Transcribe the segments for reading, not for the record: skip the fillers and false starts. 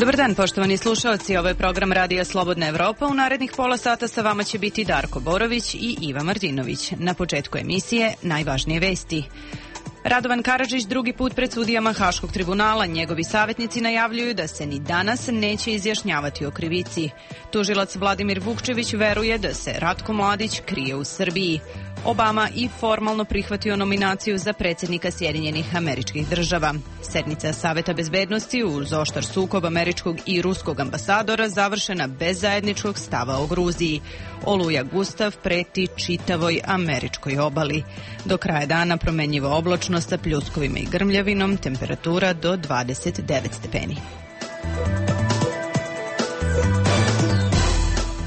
Dobar dan, poštovani slušaoci. Ovo je program Radija Slobodna Evropa. U narednih pola sata sa vama će biti Darko Borović i Iva Martinović. Na početku emisije najvažnije vesti. Radovan Karadžić drugi put pred sudijama Haškog tribunala. Njegovi savjetnici najavljuju da se ni danas neće izjašnjavati o krivici. Tužilac Vladimir Vukčević veruje da se Ratko Mladić krije u Srbiji. Obama i formalno prihvatio nominaciju za predsjednika Sjedinjenih Američkih Država. Sednica Saveta bezbednosti uz oštar sukob američkog i ruskog ambasadora završena bez zajedničkog stava o Gruziji. Oluja Gustav preti čitavoj američkoj obali. Do kraja dana promenjiva oblačnost sa pljuskovima i grmljavinom, temperatura do 29 stepeni.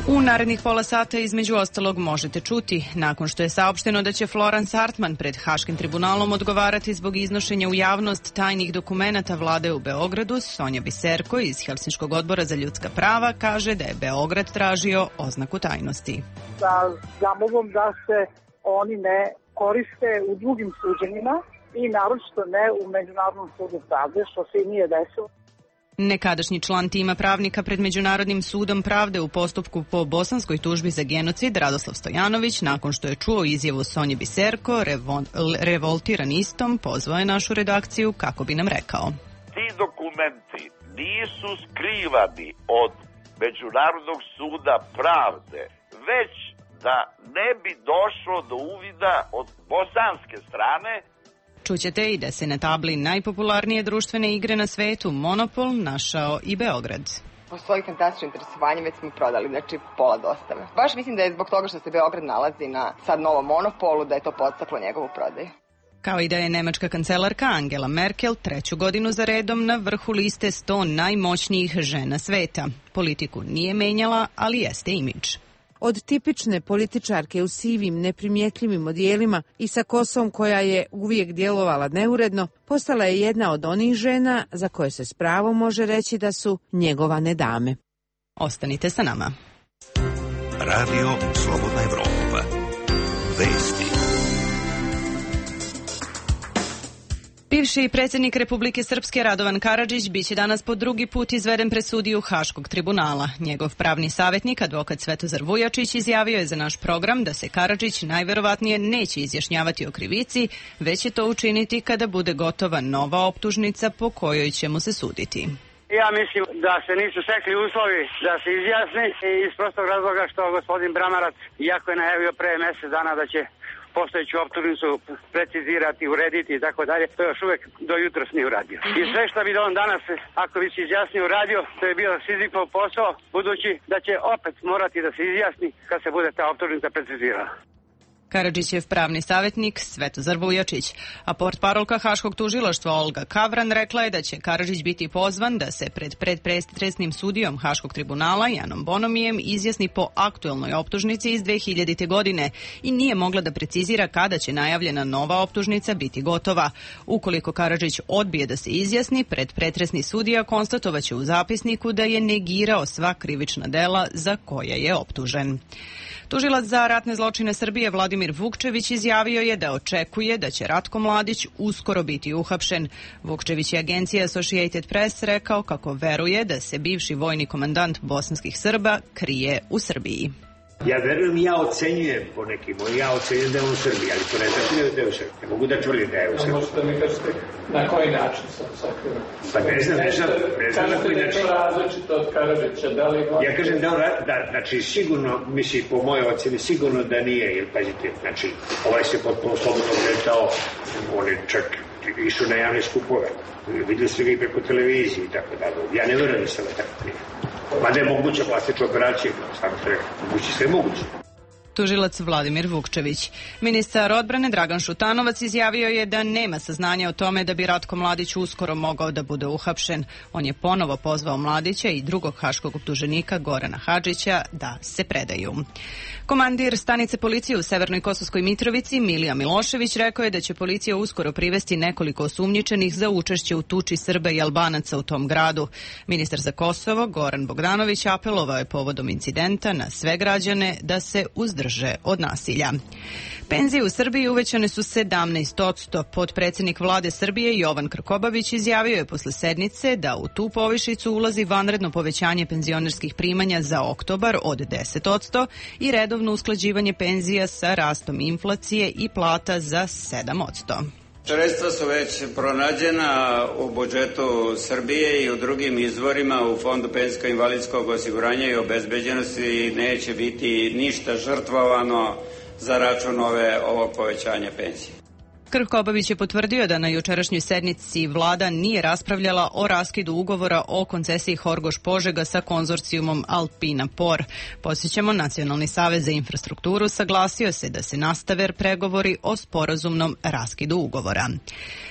U narednih pola sata između ostalog možete čuti, nakon što je saopšteno da će Florence Hartman pred Haškim tribunalom odgovarati zbog iznošenja u javnost tajnih dokumenata vlade u Beogradu, Sonja Biserko iz Helsinškog odbora za ljudska prava kaže da je Beograd tražio oznaku tajnosti. Sa zamolbom da se oni ne koriste u drugim suđenjima i naročito ne u Međunarodnom sudu pravde, što se i nije desilo. Nekadašnji član tima pravnika pred Međunarodnim sudom pravde u postupku po bosanskoj tužbi za genocid Radoslav Stojanović, nakon što je čuo izjavu Sonje Biserko, revoltiran istom, pozvao je našu redakciju kako bi nam rekao. Ti dokumenti nisu skrivani od Međunarodnog suda pravde, već da ne bi došlo do uvida od bosanske strane. Čućete i da se na tabli najpopularnije društvene igre na svetu Monopol našao i Beograd. Po svojih fantastičnim interesovanjem već smo prodali, znači pola dostave. Baš mislim da je zbog toga što se Beograd nalazi na sad novom Monopolu, da je to podstaklo njegovu prodaju. Kao i da je nemačka kancelarka Angela Merkel treću godinu za redom na vrhu liste 100 najmoćnijih žena sveta. Politiku nije menjala, ali jeste imidž. Od tipične političarke u sivim, neprimjetljivim odijelima i sa kosom koja je uvijek djelovala neuredno, postala je jedna od onih žena za koje se s pravom može reći da su njegovane dame. Ostanite sa nama. Radio Slobodna Evropa. Vesti. Bivši predsjednik Republike Srpske Radovan Karadžić biće danas po drugi put izveden pred sudiju Haškog tribunala. Njegov pravni savjetnik, advokat Svetozar Vujačić, izjavio je za naš program da se Karadžić najverovatnije neće izjašnjavati o krivici, već će to učiniti kada bude gotova nova optužnica po kojoj će mu se suditi. Ja mislim da se nisu stekli uslovi da se izjasni iz prostog razloga što gospodin Bramarac, iako je najavio pre mjesec dana da će postojeću optužnicu precizirati, urediti i tako dalje, to još uvijek do jutros nije uradio. I sve što bi on danas, ako bi se izjasnio, uradio, to je bio Sizifov posao, budući da će opet morati da se izjasni kad se bude ta optužnica precizirala. Karadžićev pravni savjetnik Svetozar Vujačić, a portparolka Haškog tužilaštva Olga Kavran rekla je da će Karadžić biti pozvan da se pred predstresnim sudijom Haškog tribunala Janom Bonomijem izjasni po aktuelnoj optužnici iz 2000. godine i nije mogla da precizira kada će najavljena nova optužnica biti gotova. Ukoliko Karadžić odbije da se izjasni, predstresni sudija konstatovaće u zapisniku da je negirao sva krivična dela za koja je optužen. Tužilac za ratne zločine Srbije Vladimir Vukčević izjavio je da očekuje da će Ratko Mladić uskoro biti uhapšen. Vukčević je agencija Associated Press rekao kako veruje da se bivši vojni komandant bosanskih Srba krije u Srbiji. Ja verujem, ja ocenjujem po nekim, ja ocenjujem da je u Srbiji, ali to ne znači da je u Srbiji. Ne mogu da tvrdim da je u Srbiji. Možete mi kažete na koji način sam sakrivan? Pa ne znam na koji način. Kažete da je to različito od Karadžića, da li... Ja kažem da, znači sigurno, mislim po mojoj oceni, sigurno da nije, jer pazite, znači ovaj se potpuno slobodno kretao, on je čak išao na javne skupove, videli ste ga i preko televizije i tako dalje. Ja ne verujem da sam tako prije. Mada je moguća plastična operacija, samo ste rekli, moguće sve moguće. Tužilac Vladimir Vukčević. Ministar odbrane Dragan Šutanovac izjavio je da nema saznanja o tome da bi Ratko Mladić uskoro mogao da bude uhapšen. On je ponovo pozvao Mladića i drugog haškog optuženika Gorana Hadžića da se predaju. Komandir stanice policije u Severnoj Kosovskoj Mitrovici Milija Milošević rekao je da će policija uskoro privesti nekoliko osumnjičenih za učešće u tuči Srba i Albanaca u tom gradu. Ministar za Kosovo Goran Bogdanović apelovao je povodom incidenta na sve građane da se uzdrže drže od nasilja. Penzije u Srbiji uvećane su 17%. Potpredsjednik vlade Srbije Jovan Krkobabić izjavio je posle sednice da u tu povišicu ulazi vanredno povećanje penzionerskih primanja za oktobar od 10% i redovno usklađivanje penzija sa rastom inflacije i plata za 7%. Sredstva su već pronađena u budžetu Srbije i u drugim izvorima u Fondu penzijsko-invalidskog osiguranja i obezbeđenosti neće biti ništa žrtvovano za račun ovog povećanja penzije. Krkobabić je potvrdio da na jučerašnjoj sednici vlada nije raspravljala o raskidu ugovora o koncesiji Horgoš-Požega sa konzorcijumom Alpina Por. Podsjećamo, Nacionalni savez za infrastrukturu saglasio se da se nastave pregovori o sporazumnom raskidu ugovora.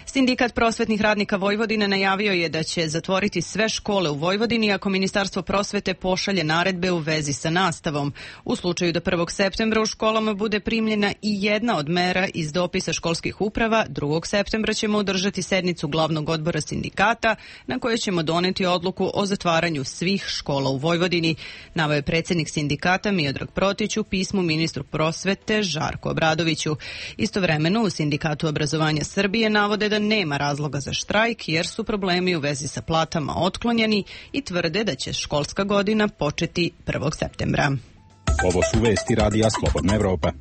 Sindikat prosvetnih radnika Vojvodine najavio je da će zatvoriti sve škole u Vojvodini ako Ministarstvo prosvete pošalje naredbe u vezi sa nastavom. U slučaju da 1. septembra u školama bude primljena i jedna od mera iz dopisa školskih uprava, 2. septembra ćemo održati sednicu glavnog odbora sindikata na kojoj ćemo doneti odluku o zatvaranju svih škola u Vojvodini, naveo je predsjednik sindikata Miodrag Protić u pismu ministru prosvete Žarku Obradoviću. Istovremeno u Sindikatu obrazovanja Srbije navode da nema razloga za štrajk jer su problemi u vezi sa platama otklonjeni i tvrde da će školska godina početi 1. septembra. Ovo su vesti Radija Slobodna Evropa.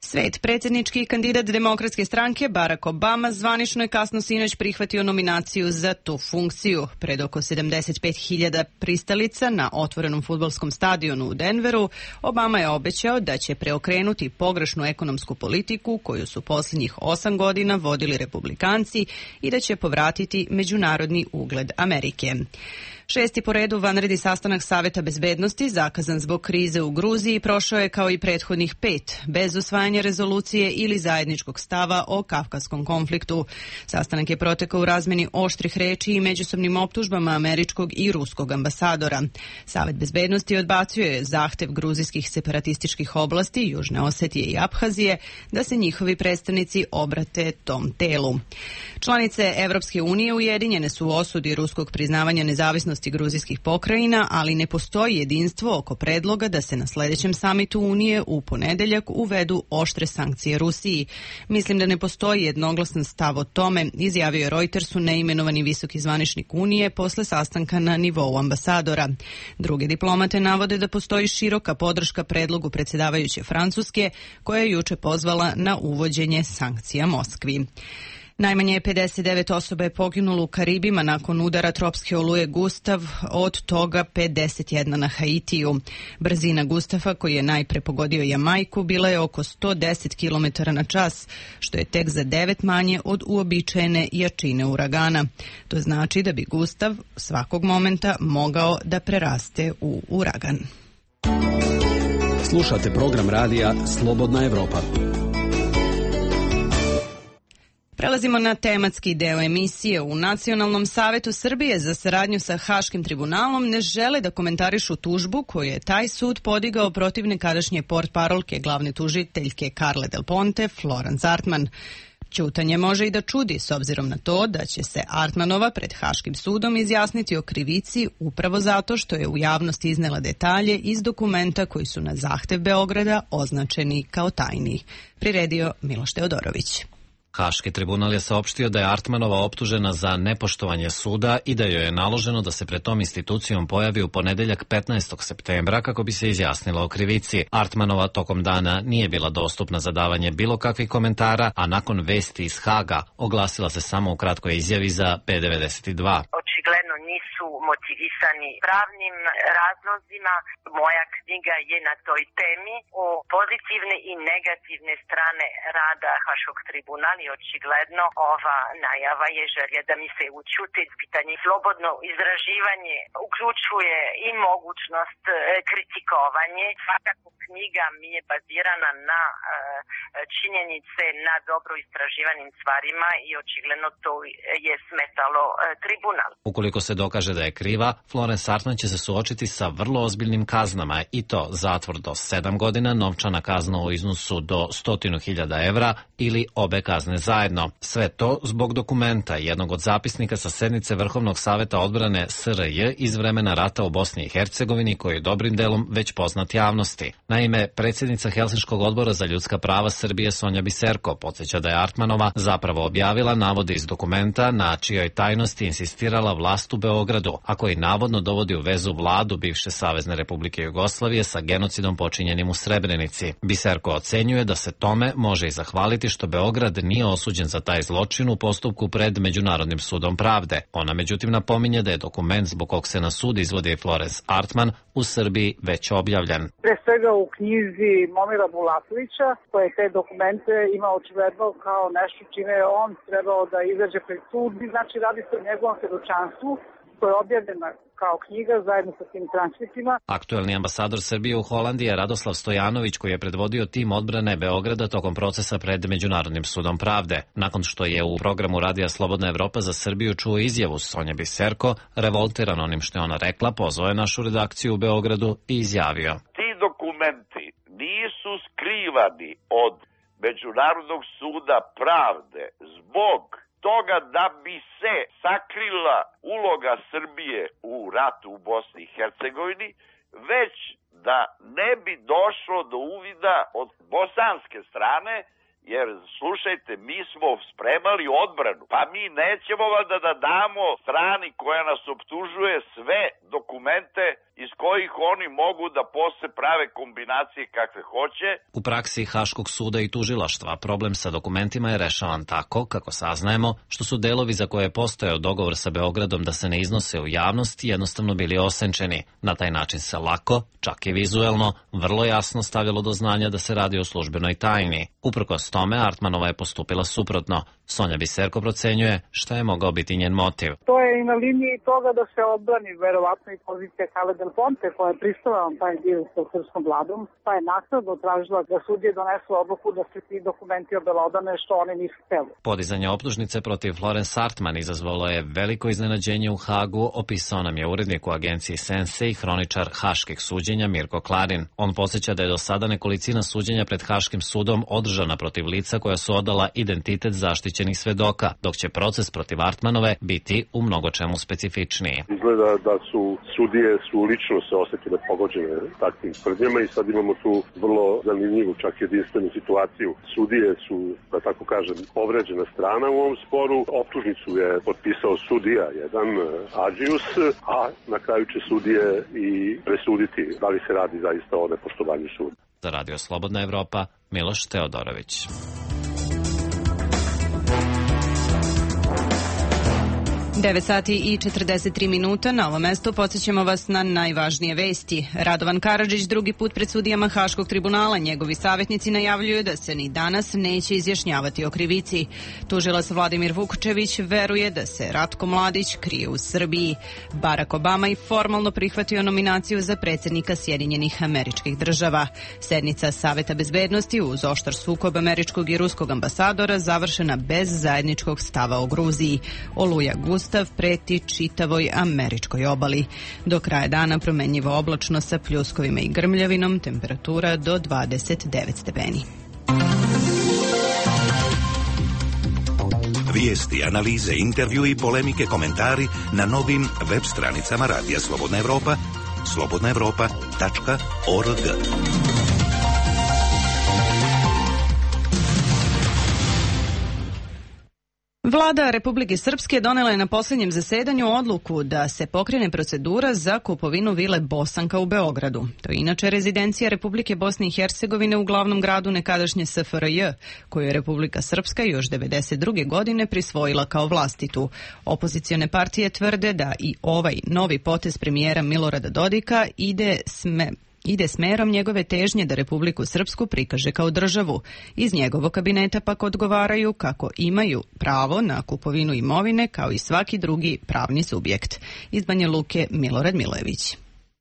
Svet, predsjednički kandidat Demokratske stranke Barack Obama zvanično je kasno sinoć prihvatio nominaciju za tu funkciju. Pred oko 75.000 pristalica na otvorenom fudbalskom stadionu u Denveru, Obama je obećao da će preokrenuti pogrešnu ekonomsku politiku koju su posljednjih 8 godina vodili republikanci i da će povratiti međunarodni ugled Amerike. 6. po redu vanredni sastanak Saveta bezbednosti, zakazan zbog krize u Gruziji, prošao je kao i prethodnih 5, bez usvajanja rezolucije ili zajedničkog stava o kavkazskom konfliktu. Sastanak je protekao u razmeni oštrih reči i međusobnim optužbama američkog i ruskog ambasadora. Savet bezbednosti odbacio je zahtev gruzijskih separatističkih oblasti, Južne Osetije i Abhazije, da se njihovi predstavnici obrate tom telu. Članice Evropske unije ujedinjene su u osudi ruskog priznavanja nezavisnosti gruzijskih pokrajina, ali ne postoji jedinstvo oko predloga da se na sljedećem samitu Unije u ponedeljak uvedu oštre sankcije Rusiji. Mislim da ne postoji jednoglasan stav o tome, izjavio je Reutersu neimenovani visoki zvaničnik Unije posle sastanka na nivou ambasadora. Druge diplomate navode da postoji široka podrška predlogu predsjedavajuće Francuske, koja je juče pozvala na uvođenje sankcija Moskvi. Najmanje 59 osoba je poginulo u Karibima nakon udara tropske oluje Gustav, od toga 51 na Haitiju. Brzina Gustava, koji je najpre pogodio Jamajku, bila je oko 110 km na čas, što je tek za 9 manje od uobičajene jačine uragana. To znači da bi Gustav svakog momenta mogao da preraste u uragan. Slušate program radija Slobodna Evropa. Prelazimo na tematski deo emisije. U Nacionalnom savetu Srbije za saradnju sa Haškim tribunalom ne žele da komentarišu tužbu koju je taj sud podigao protiv nekadašnje portparolke glavne tužiteljke Carle Del Ponte, Florence Artman. Ćutanje može i da čudi s obzirom na to da će se Artmanova pred Haškim sudom izjasniti o krivici upravo zato što je u javnosti iznela detalje iz dokumenta koji su na zahtev Beograda označeni kao tajni. Priredio Miloš Teodorović. Haški tribunal je saopštio da je Artmanova optužena za nepoštovanje suda i da joj je naloženo da se pred tom institucijom pojavi u ponedeljak 15. septembra kako bi se izjasnila o krivici. Artmanova tokom dana nije bila dostupna za davanje bilo kakvih komentara, a nakon vesti iz Haga oglasila se samo u kratkoj izjavi za P92. Očigledno nisu motivisani pravnim razlozima. Moja knjiga je na toj temi o pozitivne i negativne strane rada Haškog tribunala. Očigledno ova najava je želja da mi se učuti. Pitanje slobodno izraživanje uključuje i mogućnost kritikovanje. Svakako knjiga mi je bazirana na činjenice, na dobro istraživanim stvarima i očigledno to je smetalo tribunal. Ukoliko se dokaže da je kriva, Florence Artman će se suočiti sa vrlo ozbiljnim kaznama i to zatvor do 7 godina, novčana kazna u iznosu do 100.000 evra ili obe kazne kazne zajedno. Sve to zbog dokumenta, jednog od zapisnika sa sednice Vrhovnog saveta odbrane SRJ iz vremena rata u Bosni i Hercegovini, koji je dobrim delom već poznat javnosti. Naime, predsjednica Helsinškog odbora za ljudska prava Srbije Sonja Biserko podsjeća da je Artmanova zapravo objavila navode iz dokumenta na čijoj tajnosti insistirala vlast u Beogradu, a koji navodno dovodi u vezu vladu bivše Savezne Republike Jugoslavije sa genocidom počinjenim u Srebrenici. Biserko ocenjuje da se tome može i zahvaliti što Beograd nije osuđen za taj zločin u postupku pred Međunarodnim sudom pravde. Ona međutim napominje da je dokument zbog kog se na sud izvodi Florence Artman u Srbiji već objavljen. Pre svega u knjizi Momira Bulatovića, koje te dokumente ima očigledno kao nešto čime je on trebao da izađe pred sud. Znači radi se o njegovom svedočanstvu koja je objavljena kao knjiga zajedno sa tim transkriptima. Aktuelni ambasador Srbije u Holandiji je Radoslav Stojanović, koji je predvodio tim odbrane Beograda tokom procesa pred Međunarodnim sudom pravde. Nakon što je u programu Radija Slobodna Evropa za Srbiju čuo izjavu Sonje Biserko, revoltiran onim što je ona rekla, pozvao je našu redakciju u Beogradu i izjavio: Ti dokumenti nisu skrivani od Međunarodnog suda pravde zbog toga da bi se sakrila uloga Srbije u ratu u Bosni i Hercegovini, već da ne bi došlo do uvida od bosanske strane, jer slušajte, mi smo spremali odbranu, pa mi nećemo da damo strani koja nas optužuje sve dokumente iz kojih oni mogu da posle prave kombinacije kakve hoće. U praksi Haškog suda i tužilaštva problem sa dokumentima je rešavan tako, kako saznajemo, što su delovi za koje je postojao dogovor sa Beogradom da se ne iznose u javnost jednostavno bili osenčeni. Na taj način se lako, čak i vizuelno, vrlo jasno stavljalo do znanja da se radi o službenoj tajni. Uprkos tome, Artmanova je postupila suprotno. Sonja Biserko procenjuje šta je mogao biti njen motiv. To je i na liniji toga da se odbrani verovatno i pozicija Carle Del Ponte, koja je pristala na taj dio sa srpskom vladom, pa je naknadno tražila da sudije donesu odluku da se ti dokumenti obelodane, što oni nisu hteli. Podizanje optužnice protiv Florence Artman izazvalo je veliko iznenađenje u Hagu, opisao nam je urednik u agenciji Sense i hroničar haških suđenja Mirko Klarin. On podsjeća da je do sada nekolicina suđenja pred Haškim sudom održana protiv lica koja su odala identitet zaštićenih svedoka, dok će proces protiv Artmanove biti u mnogo čemu specifičniji. Izgleda da su sudije lično se osetile pogođene takvim tvrdnjama i sad imamo tu vrlo zanimljivu, čak jedinstvenu situaciju. Sudije su, da tako kažem, povređena strana u ovom sporu. Optužnicu je potpisao sudija jedan, Adžius, a na kraju će sudije i presuditi da li se radi zaista o nepoštovanju suda. Za Radio Slobodna Evropa, Miloš Teodorović. 9 sati i 43 minuta. Na ovom mestu podsjećamo vas na najvažnije vesti. Radovan Karadžić drugi put pred sudijama Haškog tribunala. Njegovi savjetnici najavljuju da se ni danas neće izjašnjavati o krivici. Tužilac Vladimir Vukočević veruje da se Ratko Mladić krije u Srbiji. Barack Obama i formalno prihvatio nominaciju za predsjednika Sjedinjenih Američkih Država. Sednica Saveta bezbednosti uz oštar sukob američkog i ruskog ambasadora završena bez zajedničkog stava o Gruziji. Oluja Gustav preti čitavoj američkoj obali. Do kraja dana promenljivo oblačno sa pljuskovima i grmljavinom, temperatura do 29 stepeni. Vijesti, analize, intervju i polemike, komentari na novim web stranicama Radija Slobodna Evropa, slobodnaevropa.org. Vlada Republike Srpske donela je na posljednjem zasedanju odluku da se pokrene procedura za kupovinu vile Bosanka u Beogradu. To je inače rezidencija Republike Bosne i Hercegovine u glavnom gradu nekadašnje SFRJ, koju je Republika Srpska još 1992. godine prisvojila kao vlastitu. Opozicione partije tvrde da i ovaj novi potez premijera Milorada Dodika ide smerom njegove težnje da Republiku Srpsku prikaže kao državu. Iz njegovog kabineta pak odgovaraju kako imaju pravo na kupovinu imovine kao i svaki drugi pravni subjekt. Iz Banja Luke Milorad Milojević.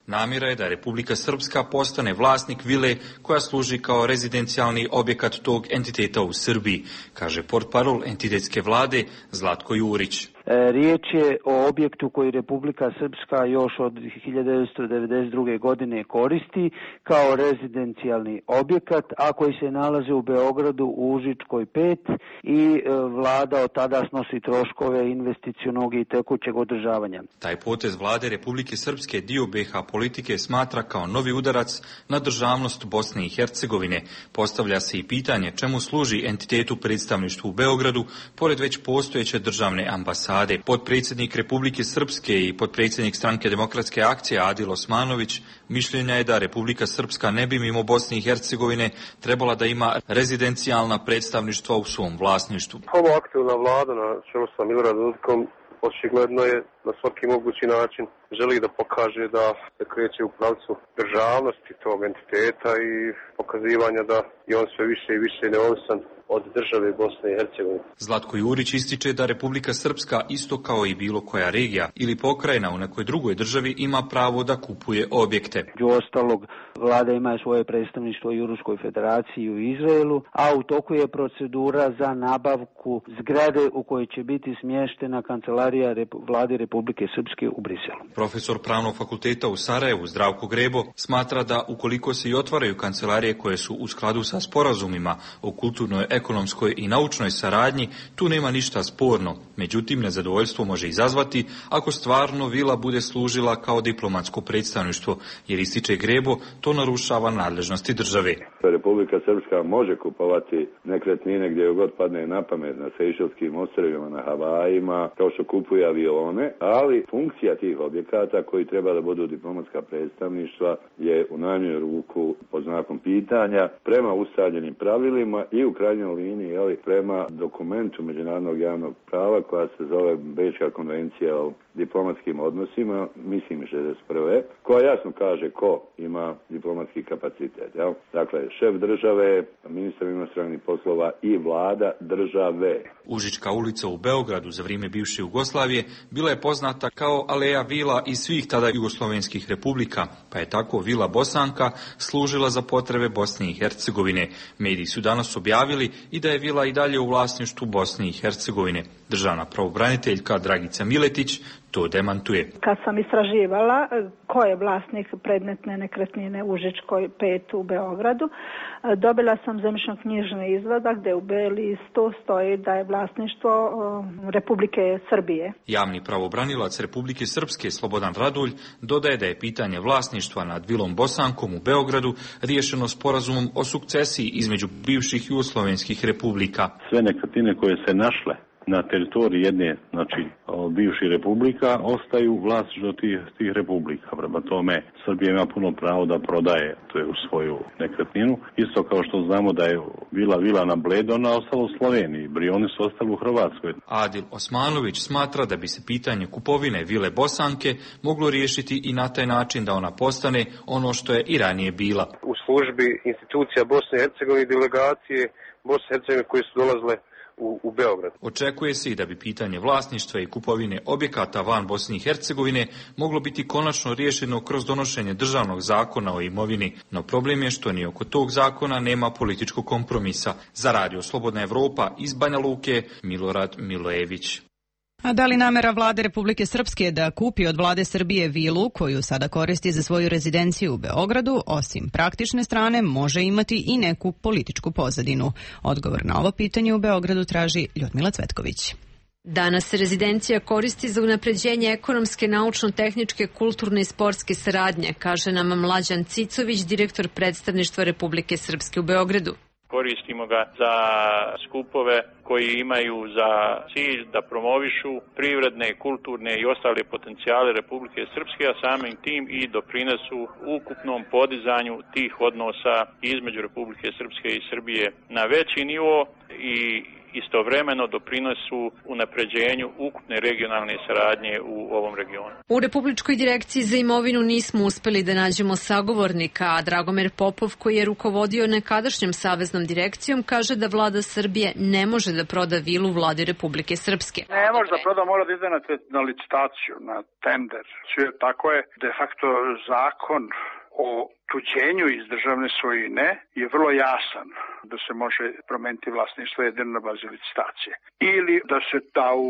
Namjera je da Republika Srpska postane vlasnik vile koja služi kao rezidencijalni objekat tog entiteta u Srbiji, kaže portparol entitetske vlade Zlatko Jurić. Riječ je o objektu koji Republika Srpska još od 1992. godine koristi kao rezidencijalni objekat, a koji se nalazi u Beogradu u Užičkoj 5 i vlada od tada snosi troškove investicionog i tekućeg održavanja. Taj potez vlade Republike Srpske dio BiH politike smatra kao novi udarac na državnost Bosne i Hercegovine. Postavlja se i pitanje čemu služi entitetu predstavništvu u Beogradu, pored već postojeće državne ambasade. Potpredsjednik Republike Srpske i potpredsjednik Stranke demokratske akcije Adil Osmanović mišljenja je da Republika Srpska ne bi mimo Bosne i Hercegovine trebala da ima rezidencijalna predstavništva u svom vlasništvu. Ovo aktivna vlada na čelu sa Miloradom Dodikom očigledno je na svaki mogući način želi da pokaže da se kreće u pravcu državnosti tog entiteta i pokazivanja da je on sve više i više neovisan od države Bosne i Hercegovine. Zlatko Jurić ističe da Republika Srpska, isto kao i bilo koja regija ili pokrajina u nekoj drugoj državi, ima pravo da kupuje objekte. U ostalog, vlada ima svoje predstavništvo i u Ruskoj federaciji i u Izraelu, a u toku je procedura za nabavku zgrade u kojoj će biti smještena kancelarija vlade Republike Srpske u Briselu. Profesor Pravnog fakulteta u Sarajevu, Zdravko Grebo, smatra da ukoliko se i otvaraju kancelarije koje su u skladu sa sporazumima o kulturnoj, ekonomskoj i naučnoj saradnji, tu nema ništa sporno. Međutim, nezadovoljstvo može izazvati ako stvarno vila bude služila kao diplomatsko predstavništvo, jer ističe Grebo, to narušava nadležnosti države. Republika Srpska može kupovati nekretnine gdje god padne na pamet, na Sejšelskim ostrvima, na Havajima, kao što kupuje avione, ali funkcija tih objekata koji treba da budu diplomatska predstavništva je u najmanju ruku pod znakom pitanja prema ustaljenim pravilima i u krajnjoj liniji, ali prema dokumentu međunarodnog javnog prava koja se zove Bečka konvencija o diplomatskim odnosima, mislim 61. koja jasno kaže ko ima diplomatski kapacitet. Jel? Dakle, šef države, ministar inostranih poslova i vlada države. Užička ulica u Beogradu za vrijeme bivše Jugoslavije bila je poznata kao aleja vila iz svih tada jugoslovenskih republika, pa je tako vila Bosanka služila za potrebe Bosne i Hercegovine. Mediji su danas objavili i da je vila i dalje u vlasništvu Bosne i Hercegovine. Državna pravobraniteljka Dragica Miletić to demantuje. Kad sam istraživala ko je vlasnik predmetne nekretnine u Užičkoj 5 u Beogradu, dobila sam zemljišno-knjižni izvadak gdje u beli listu stoji da je vlasništvo Republike Srbije. Javni pravobranilac Republike Srpske Slobodan Radulj dodaje da je pitanje vlasništva nad vilom Bosankom u Beogradu riješeno sporazumom o sukcesiji između bivših jugoslovenskih republika. Sve nekretnine koje se našle na teritoriji jedne, znači bivših republika, ostaju vlasništvo tih republika. Prema tome, Srbija ima puno pravo da prodaje u svoju nekretninu. Isto kao što znamo da je vila na Bledu, ona ostala u Sloveniji, Brioni su ostali u Hrvatskoj. Adil Osmanović smatra da bi se pitanje kupovine vile Bosanke moglo riješiti i na taj način da ona postane ono što je i ranije bila. U službi institucija Bosne i Hercegovine i delegacije Bosne i Hercegovine koje su dolazile u Beograd. Očekuje se i da bi pitanje vlasništva i kupovine objekata van Bosne i Hercegovine moglo biti konačno riješeno kroz donošenje državnog zakona o imovini, no problem je što ni oko tog zakona nema političkog kompromisa. Za Radio Slobodna Evropa iz Banja Luke, Milorad Milojević. A da li namera vlade Republike Srpske da kupi od vlade Srbije vilu koju sada koristi za svoju rezidenciju u Beogradu, osim praktične strane, može imati i neku političku pozadinu? Odgovor na ovo pitanje u Beogradu traži Ljudmila Cvetković. Danas se rezidencija koristi za unapređenje ekonomske, naučno-tehničke, kulturne i sportske saradnje, kaže nam Mlađan Cicović, direktor predstavništva Republike Srpske u Beogradu. Koristimo ga za skupove koji imaju za cilj da promovišu privredne, kulturne i ostale potencijale Republike Srpske, a samim tim i doprinesu ukupnom podizanju tih odnosa između Republike Srpske i Srbije na veći nivo i istovremeno doprinosu unapređenju ukupne regionalne saradnje u ovom regionu. U Republičkoj direkciji za imovinu nismo uspeli da nađemo sagovornika, a Dragomir Popov, koji je rukovodio nekadašnjom saveznom direkcijom, kaže da vlada Srbije ne može da proda vilu vladi Republike Srpske. Ne može da proda, mora da ide na licitaciju, na tender. Tako je de facto zakon o tuđenju iz državne svojine je vrlo jasan, da se može promeniti vlasništvo jedino na bazi licitacije. Ili da se da u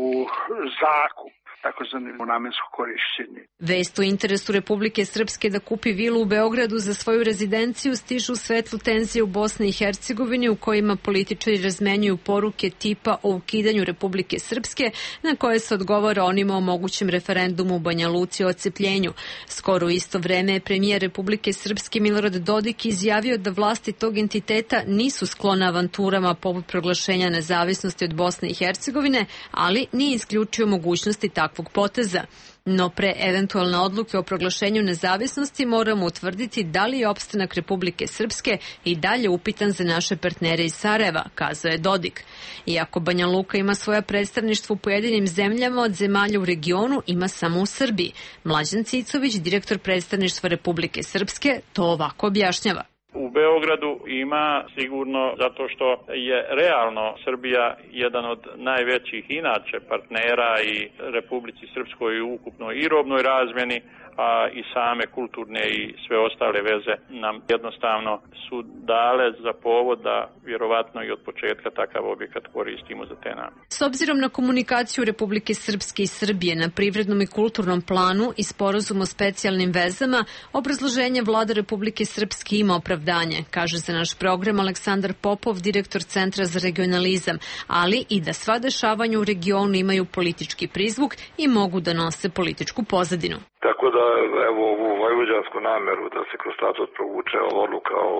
zakup, takozvano namensko korišćenje. Vest o interesu Republike Srpske da kupi vilu u Beogradu za svoju rezidenciju stižu u svetlu tenzije u Bosni i Hercegovini, u kojima političari razmenjuju poruke tipa o ukidanju Republike Srpske, na koje se odgovara onima o mogućem referendumu u Banja Luci o odcepljenju. Skoro u isto vreme je premijer Republike Srpske Milorad Dodik izjavio da vlasti tog entiteta nisu sklone avanturama poput proglašenja nezavisnosti od Bosne i Hercegovine, ali nije isključio mogućnosti takvog poteza. No pre eventualne odluke o proglašenju nezavisnosti moramo utvrditi da li je opstanak Republike Srpske i dalje upitan za naše partnere iz Sarajeva, kazao je Dodik. Iako Banja Luka ima svoja predstavništva u pojedinim zemljama, od zemalja u regionu ima samo u Srbiji. Mlađan Cicović, direktor predstavništva Republike Srpske, to ovako objašnjava. U Beogradu ima sigurno zato što je realno Srbija jedan od najvećih inače partnera i Republici Srpskoj u ukupnoj i robnoj razmjeni, a i same kulturne i sve ostale veze nam jednostavno su dale za povod da vjerovatno i od početka takav objekat koristimo za te namjene. S obzirom na komunikaciju Republike Srpske i Srbije na privrednom i kulturnom planu i sporazum o specijalnim vezama, obrazloženje vlada Republike Srpske ima opravdanje, kaže za naš program Aleksandar Popov, direktor Centra za regionalizam, ali i da sva dešavanja u regionu imaju politički prizvuk i mogu da nose političku pozadinu. Tako da, evo, ovu vojvođansku nameru da se kroz statut provuče odluka o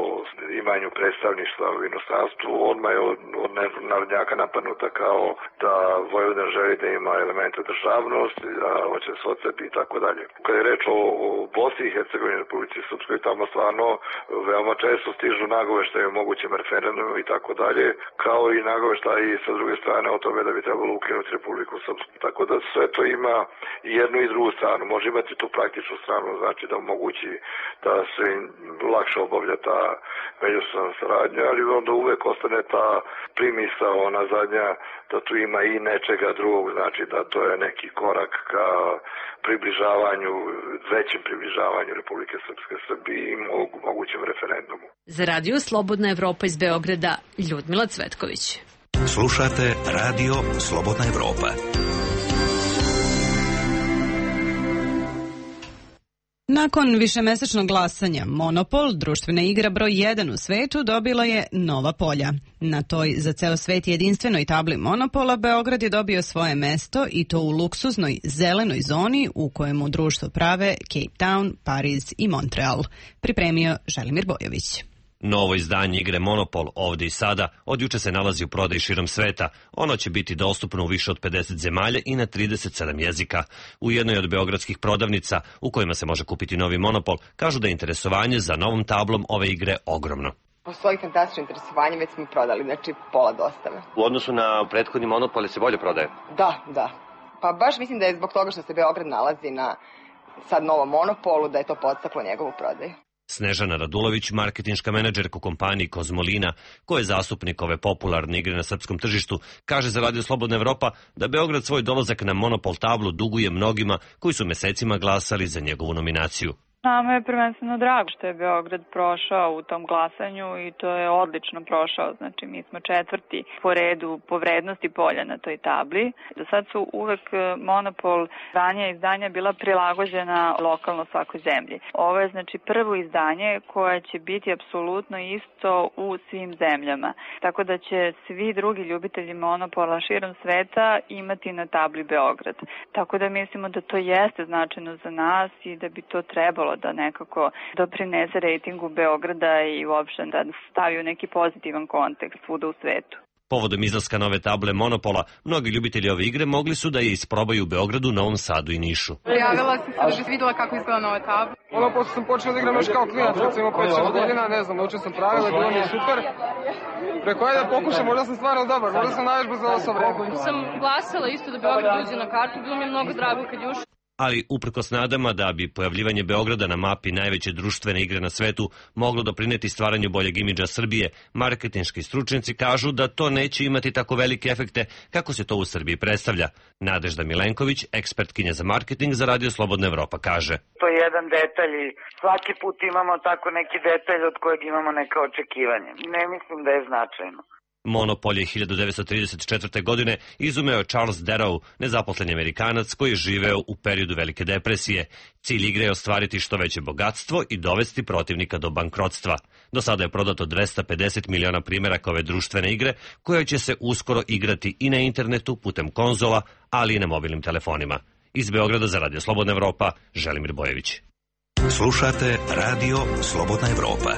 imanju predstavništva u inostranstvu, odmah je od narodnjaka napadnuta kao da Vojvodina želi da ima elemente državnosti, da hoće se odcepi i tako dalje. Kad je reč o Bosni i Hercegovini, Republici Srpskoj, tamo stvarno veoma često stižu nagoveštaje o mogućem referendumu i tako dalje, kao i nagoveštaje sa druge strane o tome da bi trebalo ukinuti Republiku Srpsku. Tako da sve to ima i jednu i drugu stranu. Može imati tu praktičnu stranu, znači da omogući da se lakše obavlja ta međusobna saradnja, ali onda uvek ostane ta primisao, ona zadnja, da tu ima i nečega drugog, znači da to je neki korak ka približavanju, većem približavanju Republike Srpske Srbiji i mogućem referendumu. Za Radio Slobodna Evropa iz Beograda, Ljudmila Cvetković. Slušate Radio Slobodna Evropa. Nakon višemesečnog glasanja, Monopol, društvena igra broj 1 u svetu, dobila je nova polja. Na toj za ceo svet jedinstvenoj tabli Monopola Beograd je dobio svoje mesto i to u luksuznoj zelenoj zoni u kojemu društvo prave Cape Town, Pariz i Montreal. Pripremio Želimir Bojović. Novo izdanje igre Monopol, ovdje i sada, od juče se nalazi u prodaji širom sveta. Ono će biti dostupno u više od 50 zemalja i na 37 jezika. U jednoj od beogradskih prodavnica, u kojima se može kupiti novi Monopol, kažu da je interesovanje za novom tablom ove igre ogromno. Postoji fantastično interesovanje, već smo prodali, znači pola dostave. U odnosu na prethodni Monopol se bolje prodaje? Da. Pa baš mislim da je zbog toga što se Beograd nalazi na sad novom Monopolu, da je to podstaklo njegovu prodaju. Snežana Radulović, marketinška menadžerka u kompaniji Kozmolina, koja je zastupnik ove popularne igre na srpskom tržištu, kaže za Radio Slobodna Evropa da Beograd svoj dolazak na Monopol tablu duguje mnogima koji su mesecima glasali za njegovu nominaciju. Nama je prvenstveno drago što je Beograd prošao u tom glasanju i to je odlično prošao. Znači mi smo četvrti po redu po vrednosti polja na toj tabli. Do sad su uvek Monopol ranija izdanja bila prilagođena lokalno svakoj zemlji. Ovo je znači prvo izdanje koje će biti apsolutno isto u svim zemljama. Tako da će svi drugi ljubitelji Monopola širom sveta imati na tabli Beograd. Tako da mislimo da to jeste značajno za nas i da bi to trebalo da nekako doprinese rejtingu Beograda i uopšte da stavi u neki pozitivan kontekst svuda u svetu. Povodom izlaska nove table Monopola, mnogi ljubitelji ove igre mogli su da je isprobaju u Beogradu, Novom Sadu i Nišu. Prijavila sam se da bih videla kako izgleda nova tabla. Monopol sam počeo da igram još kao klinac, recimo 5-6 godina, ne znam, naučio sam pravila, bilo mi je super. Preko ajde da pokušam, možda sam stvarno dobar, možda sam najvež bez ovo sa vremena. Sam glasala isto da Beograd uđe na kartu, bilo mi je mnogo drago kad je ušao. ali uprkos nadama da bi pojavljivanje Beograda na mapi najveće društvene igre na svetu moglo doprineti stvaranju boljeg imidža Srbije, marketinški stručnjaci kažu da to neće imati tako velike efekte kako se to u Srbiji predstavlja. Nadežda Milenković, ekspertkinja za marketing za Radio Slobodna Evropa, kaže. To je jedan detalj i svaki put imamo tako neki detalj od kojeg imamo neka očekivanja. Ne mislim da je značajno. Monopol je 1934. godine izumeo Charles Darrow, nezaposleni Amerikanac koji je živeo u periodu Velike depresije. Cilj igre je ostvariti što veće bogatstvo i dovesti protivnika do bankrotstva. Do sada je prodato 250 miliona primjeraka ove društvene igre, koja će se uskoro igrati i na internetu putem konzola, ali i na mobilnim telefonima. Iz Beograda za Radio Slobodna Evropa, Želimir Bojević. Slušate Radio Slobodna Evropa.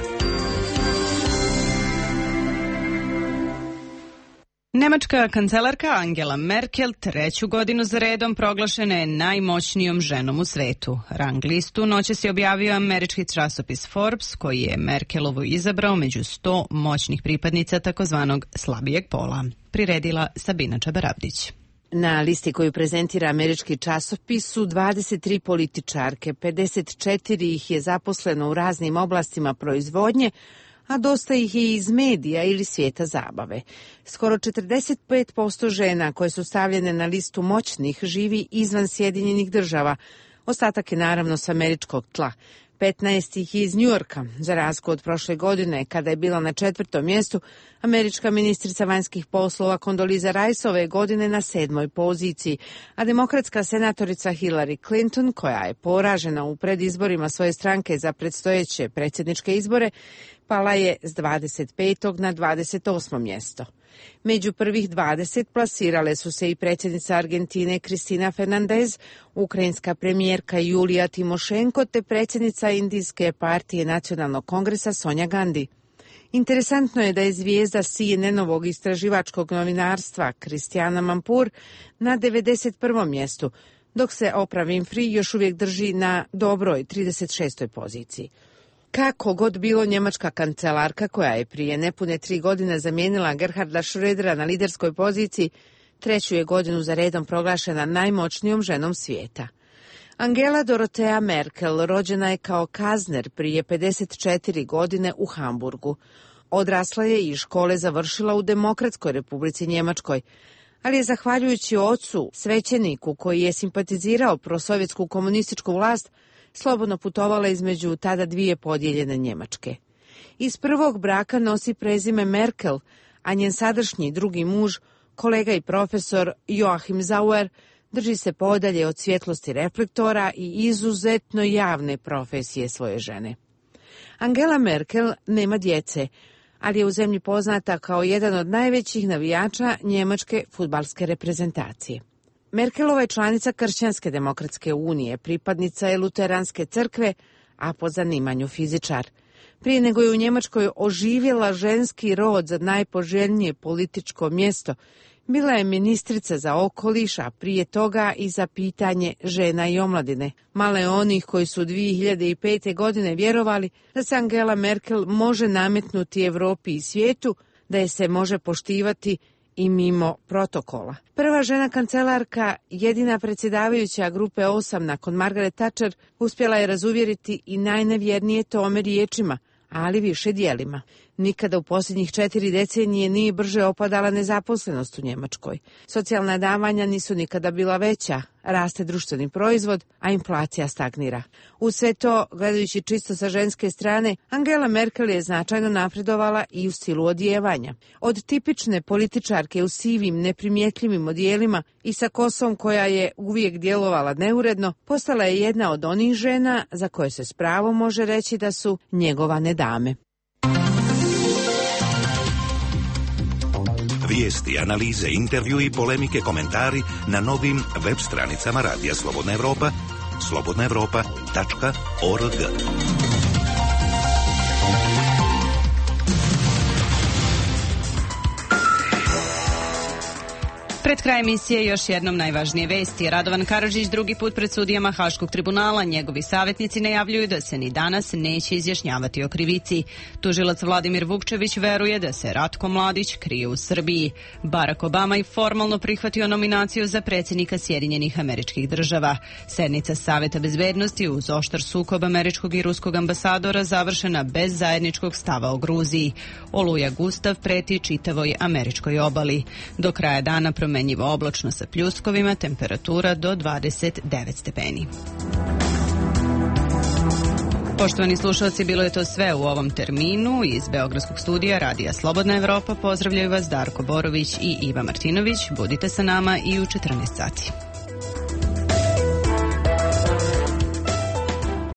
Nemačka kancelarka Angela Merkel 3. godinu za redom proglašena je najmoćnijom ženom u svetu. Rang listu noćas je objavio američki časopis Forbes, koji je Merkelovu izabrao među 100 moćnih pripadnica takozvanog slabijeg pola. Priredila Sabina Čabarabdić. Na listi koju prezentira američki časopis su 23 političarke, 54 ih je zaposleno u raznim oblastima proizvodnje, a dosta ih je iz medija ili svijeta zabave. Skoro 45% žena koje su stavljene na listu moćnih živi izvan Sjedinjenih država. Ostatak je naravno s američkog tla. 15 ih iz Njujorka, za razliku od prošle godine, kada je bila na 4. mjestu, američka ministrica vanjskih poslova Condoleezza Rice ove godine na 7. poziciji, a demokratska senatorica Hillary Clinton, koja je poražena u predizborima svoje stranke za predstojeće predsjedničke izbore, pala je s 25. na 28. mjesto. Među prvih 20 plasirale su se i predsjednica Argentine Cristina Fernández, ukrajinska premijerka Julija Timošenko te predsjednica Indijske partije nacionalnog kongresa Sonja Gandhi. Interesantno je da je zvijezda CNN-ovog istraživačkog novinarstva Kristijana Mampur na 91. mjestu, dok se Oprah Winfrey još uvijek drži na dobroj 36. poziciji. Kako god bilo, njemačka kancelarka, koja je prije nepune 3 godine zamijenila Gerharda Schrödera na liderskoj poziciji, 3. je godinu za redom proglašena najmoćnijom ženom svijeta. Angela Dorothea Merkel rođena je kao Kazner prije 54 godine u Hamburgu. Odrasla je i škole završila u Demokratskoj Republici Njemačkoj, ali je zahvaljujući ocu, svećeniku koji je simpatizirao prosovjetsku komunističku vlast, slobodno putovala između tada dvije podijeljene Njemačke. Iz prvog braka nosi prezime Merkel, a njen sadašnji drugi muž, kolega i profesor Joachim Sauer, drži se podalje od svjetlosti reflektora i izuzetno javne profesije svoje žene. Angela Merkel nema djece, ali je u zemlji poznata kao jedan od najvećih navijača njemačke fudbalske reprezentacije. Merkelova je članica Kršćanske demokratske unije, pripadnica je Luteranske crkve, a po zanimanju fizičar. Prije nego je u Njemačkoj oživjela ženski rod za najpoželjnije političko mjesto, bila je ministrica za okoliš, a prije toga i za pitanje žena i omladine. Malo je onih koji su 2005. godine vjerovali da se Angela Merkel može nametnuti Evropi i svijetu, da je se može poštivati i mimo protokola. Prva žena kancelarka, jedina predsjedavajuća grupe 8 nakon Margaret Thatcher, uspjela je razuvjeriti i najnevjernije tome riječima, ali više dijelima. Nikada u posljednjih 4 decenije nije brže opadala nezaposlenost u Njemačkoj. Socijalna davanja nisu nikada bila veća, raste društveni proizvod, a inflacija stagnira. Uz sve to, gledajući čisto sa ženske strane, Angela Merkel je značajno napredovala i u stilu odijevanja. Od tipične političarke u sivim, neprimjetljivim odijelima i sa kosom koja je uvijek djelovala neuredno, postala je jedna od onih žena za koje se s pravom može reći da su njegovane dame. Vijesti, analize, intervju i polemike, komentari na novim web stranicama Radija Slobodna Evropa, slobodnaevropa.org. Pred kraj emisije još jednom najvažnije vesti. Radovan Karadžić drugi put pred sudijama Haškog tribunala. Njegovi savjetnici najavljuju da se ni danas neće izjašnjavati o krivici. Tužilac Vladimir Vukčević veruje da se Ratko Mladić krije u Srbiji. Barack Obama je formalno prihvatio nominaciju za predsjednika Sjedinjenih Američkih Država. Sednica Saveta bezbednosti uz oštar sukob američkog i ruskog ambasadora završena bez zajedničkog stava o Gruziji. Oluja Gustav preti čitavoj američkoj obali. Do kraja dana promenjivo oblačno sa pljuskovima, temperatura do 29 stepeni. Poštovani slušalci, bilo je to sve u ovom terminu. Iz Beogradskog studija Radija Slobodna Evropa pozdravljaju vas Darko Borović i Iva Martinović. Budite sa nama i u 14 sati.